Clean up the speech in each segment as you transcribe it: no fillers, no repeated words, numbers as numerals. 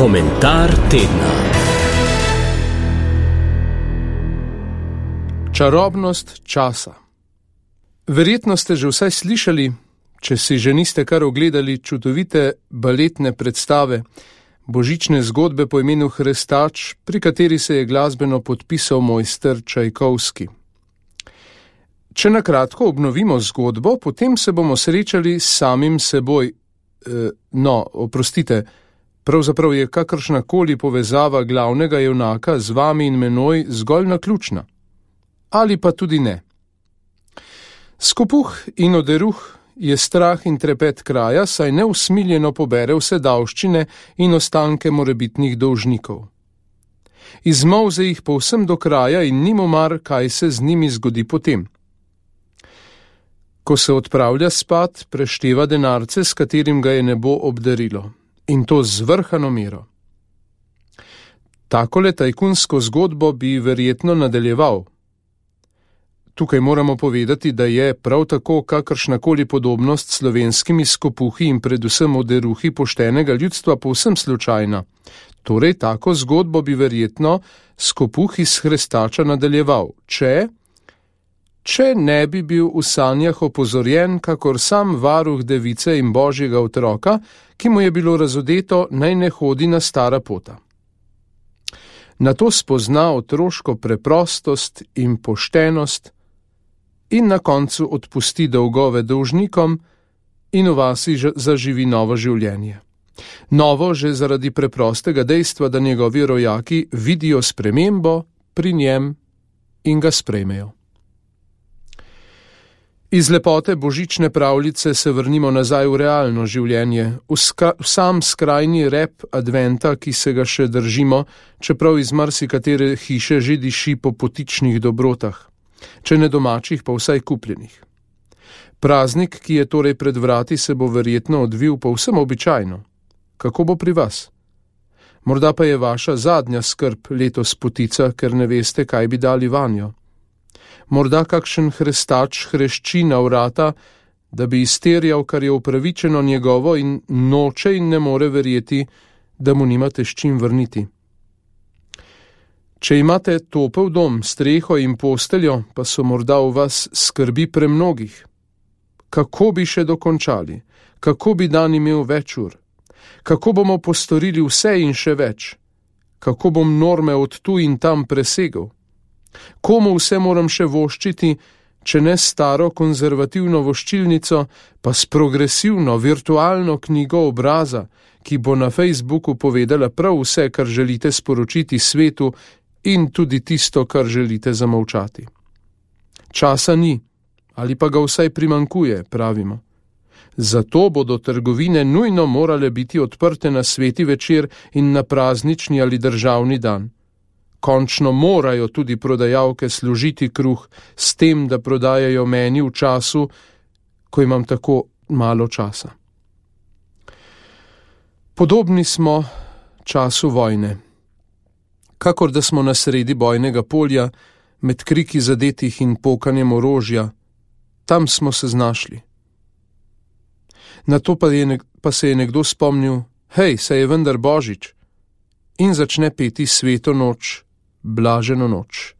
Komentar tedna. Čarobnost časa. Verjetno ste že vsaj slišali, če si že niste kar ogledali, čudovite baletne predstave, božične zgodbe po imenu Hrestač, pri kateri se je glasbeno podpisal mojster Čajkovski. Če na kratko obnovimo zgodbo, potem se bomo srečali s samim seboj. Pravzaprav je kakršnakoli povezava glavnega junaka z vami in menoj zgolj naključna. Ali pa tudi ne. Skopuh in oderuh je strah in trepet kraja, saj neusmiljeno pobere vse davščine in ostanke morebitnih dolžnikov. Izmolze jih povsem do kraja in ni mu mar, kaj se z njimi zgodi potem. Ko se odpravlja spat, prešteva denarce, s katerim ga je nebo obdarilo. In to z vrhano mero. Takole tajkunsko zgodbo bi verjetno nadaljeval. Tukaj moramo povedati, da je prav tako kakršnakoli podobnost s slovenskimi skopuhi in predvsem oderuhi poštenega ljudstva povsem slučajna. Torej, tako zgodbo bi verjetno skopuh iz Hrestača nadaljeval, če ne bi bil v sanjah opozorjen, kakor sam varuh device in božjega otroka, ki mu je bilo razodeto, naj ne hodi na stara pota. Nato spozna otroško preprostost in poštenost in na koncu odpusti dolgove dolžnikom in v vasi zaživi novo življenje. Novo že zaradi preprostega dejstva, da njegovi rojaki vidijo spremembo pri njem in ga sprejmejo. Iz lepote božične pravljice se vrnimo nazaj v realno življenje, v sam skrajni rep adventa, ki se ga še držimo, čeprav iz marsikatere hiše že diši po potičnih dobrotah, če ne domačih, pa vsaj kupljenih. Praznik, ki je torej pred vrati, se bo verjetno odvil povsem običajno. Kako bo pri vas? Morda pa je vaša zadnja skrb letos potica, ker ne veste, kaj bi dali vanjo. Morda kakšen Hrestač hrešči na vrata, da bi izterjal, kar je upravičeno njegovo in noče in ne more verjeti, da mu nimate s čim vrniti. Če imate topel dom, streho in posteljo, pa so morda v vas skrbi premnogih. Kako bi še dokončali? Kako bi dan imel več ur? Kako bomo postorili vse in še več? Kako bom norme od tu in tam presegel? Komu vse moram še voščiti, če ne staro konzervativno voščilnico, pa s progresivno virtualno knjigo obraza, ki bo na Facebooku povedala prav vse, kar želite sporočiti svetu in tudi tisto, kar želite zamolčati. Časa ni, ali pa ga vsaj primanjkuje, pravimo. Zato bodo trgovine nujno morale biti odprte na sveti večer in na praznični ali državni dan. Končno morajo tudi prodajalke služiti kruh s tem, da prodajajo meni v času, ko imam tako malo časa. Podobni smo času vojne. Kakor da smo na sredi bojnega polja, med kriki zadetih in pokanjem orožja, tam smo se znašli. Nato pa se je nekdo spomnil, hej, saj je vendar Božič, in začne peti sveto noč, blaženo noč.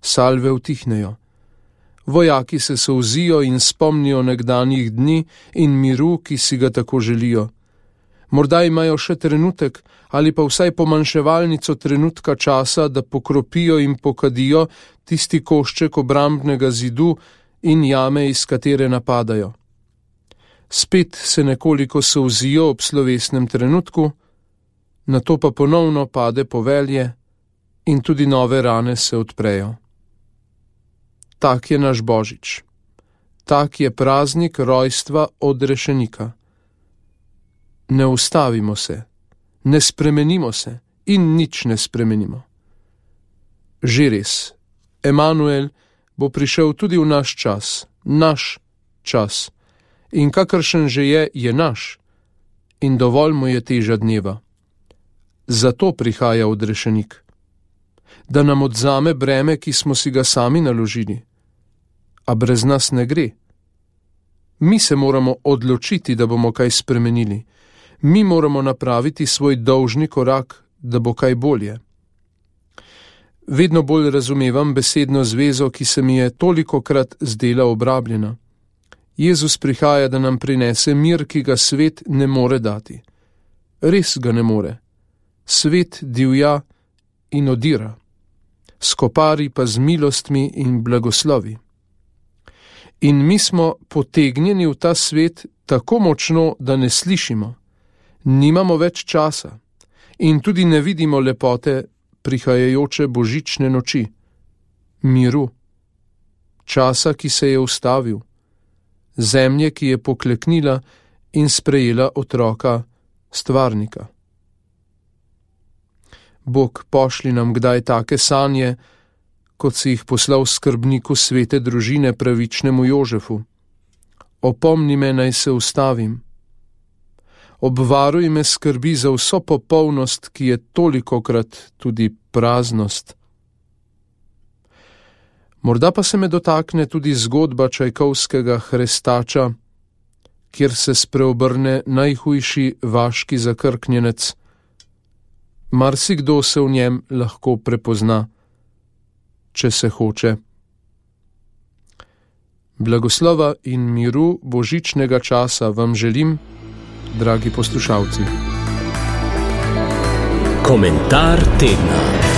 Salve utihnejo. Vojaki se solzijo in spomnijo nekdanjih dni in miru, ki si ga tako želijo. Morda imajo še trenutek ali pa vsaj pomanjševalnico trenutka časa, da pokropijo in pokadijo tisti košček obrambnega zidu in jame, iz katere napadajo. Spet se nekoliko solzijo ob slovesnem trenutku, nato pa ponovno pade povelje in tudi nove rane se odprejo. Tak je naš Božič. Tak je praznik rojstva odrešenika. Ne ustavimo se, ne spremenimo se in nič ne spremenimo. Že res, Emanuel bo prišel tudi v naš čas, in kakršen že je naš, in dovolj mu je teža dneva. Zato prihaja odrešenik. Da nam odzame breme, ki smo si ga sami naložili. A brez nas ne gre. Mi se moramo odločiti, da bomo kaj spremenili. Mi moramo napraviti svoj dolžni korak, da bo kaj bolje. Vedno bolj razumevam besedno zvezo, ki se mi je tolikokrat zdela obrabljena. Jezus prihaja, da nam prinese mir, ki ga svet ne more dati. Res ga ne more. Svet divja in odira, skopari pa z milostmi in blagoslovi. In mi smo potegnjeni v ta svet tako močno, da ne slišimo, nimamo več časa in tudi ne vidimo lepote prihajajoče božične noči, miru, časa, ki se je ustavil, zemlje, ki je pokleknila in sprejela otroka, stvarnika. Bog, pošli nam kdaj take sanje, kot si jih poslal skrbniku svete družine pravičnemu Jožefu. Opomni me, naj se ustavim. Obvaruj me skrbi za vso popolnost, ki je tolikokrat tudi praznost. Morda pa se me dotakne tudi zgodba Čajkovskega Hrestača, kjer se spreobrne najhujši vaški zakrknjenec. Marsikdo se v njem lahko prepozna, če se hoče. Blagoslova in miru božičnega časa vam želim, dragi poslušalci. Komentar tedna.